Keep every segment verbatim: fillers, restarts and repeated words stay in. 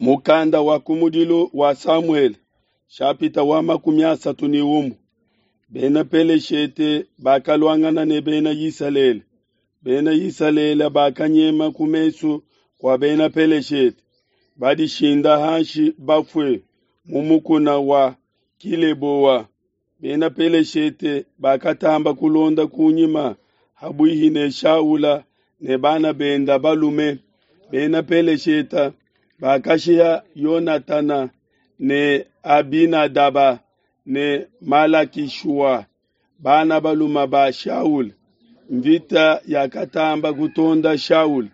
Mukanda wa kumudilu wa Samuele, shapita wa makumi asatu ne umue. Bena Peleshete bakaluangana ne Bena Isalele. Bena Isalele bakanyema ku mesu kua Bena Peleshete, badishinda hanshi bafue mu mukuna wa Kileboa. Bena Peleshete bakatamba kulonda kunyima habuihi ne Shaula ne bana benda balume. Bena Peleshete bakashiha Yonatana ne Abinadaba ne Malakishua, bana balume ba Shaula. Mvita yakatamba kutonda Shaula.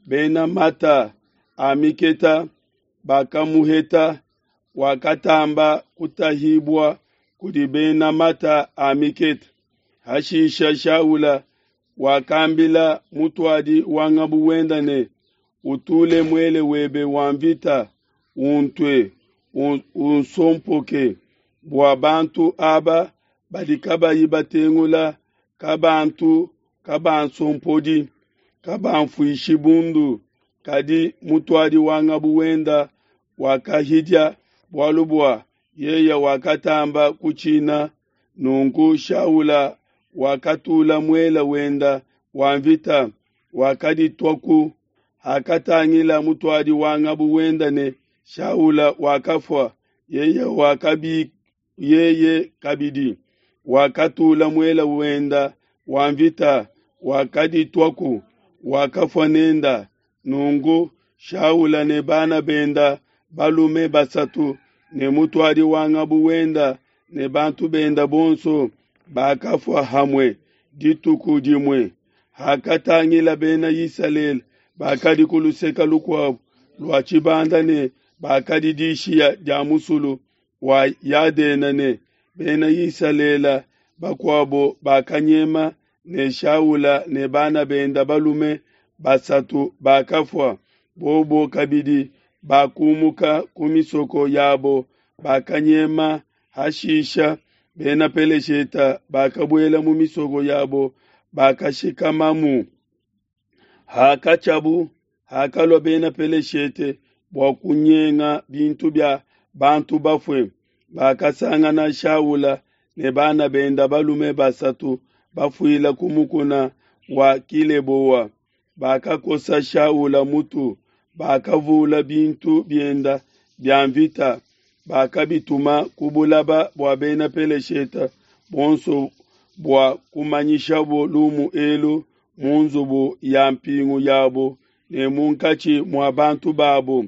Bena mata a miketa bakamuheta, wakatamba kutahibua kudi bena mata a miketa. Hashisha Shaula wakambila mutuadi wa ngabu wenda ne, utule muele webe wa mvita, untue, unsompoke, bua bantu aba badi kabayi batengula kabantu kabansompodi, kabanfuishi bundu. Kadi mutuadi wa ngabu wenda wakahidia, bualu bua yeye wakatamba kutshina. Nunku Shaula wakatula muele wenda wa mvita, wakadituaku. Hakatangila mutuadi wa ngabu wenda ne Shaula wakafua, yeye wakabi yeye kabidi wakatula muele wenda wa mvita, wakadituaku, wakafua nenda. Nunku Shaula ne bana benda balume basatu ne mutuadi wa ngabu wenda ne bantu benda bonso bakafua hamue dituku dimue. Hakatangila Bena Isalele bakadi ku luseke lukuabo lua tshibanda ne bakadi dishiya dia musulu wa Yadena ne Bena Isalele bakuabo bakanyema ne Shaula ne bana benda balume basatu bakafua. Bobo kabidi bakumuka ku misoko yabo, bakanyema. Hashisha Bena Peleshete bakabuela mu misoko yabo, bakashikamamu. Hakatshiabu, hakalua Bena Peleshete bua kunyenga bintu bia bantu bafue, bakasangana Shaula ne bana benda balume basatu bafuila ku mukuna wa Kileboa. Bakakosa Shaula mutu, bakavula bintu bienda bia mvita, bakabituma ku bulaba bua Bena Peleshete bonso bua kumanyishabo lumu elu mu nzubu ya mpingu yabo ne munkatshi mua bantu babo.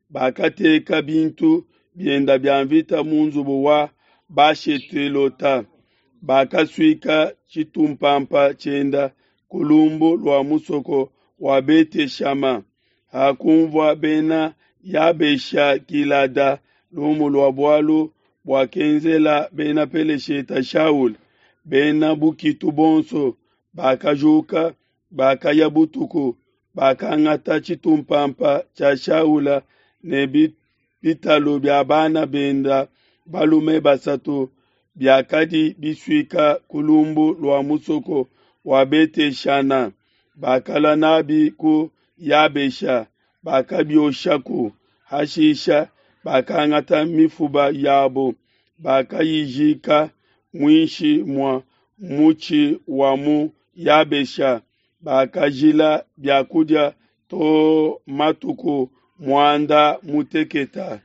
Bakateka bintu bienda bia mvita mu nzubu wa Bashetelota. Bakasuika tshitumpampa tshienda ku lumbu lua musoko wa Beteshama. Hakunvua Bena Yabesha Gilada lumu lua bualu buakenzela Bena Peleshete Shaula, bena bukitu bonso bakajuka, bakaya butuku, bakangata tshitumpampa tshia Shaula ne bitalu bia bana benda balume basatu biakadi bisuika ku lumbu lua musoko wa Beteshana. Bakalua nabi ku Yabesha, bakabioshaku. Hashisha bakangata mifuba yabo, bakayijika muinshi mua mutshi wa mu Yabesha. Bakajila biakudia to matuku muanda muteketa.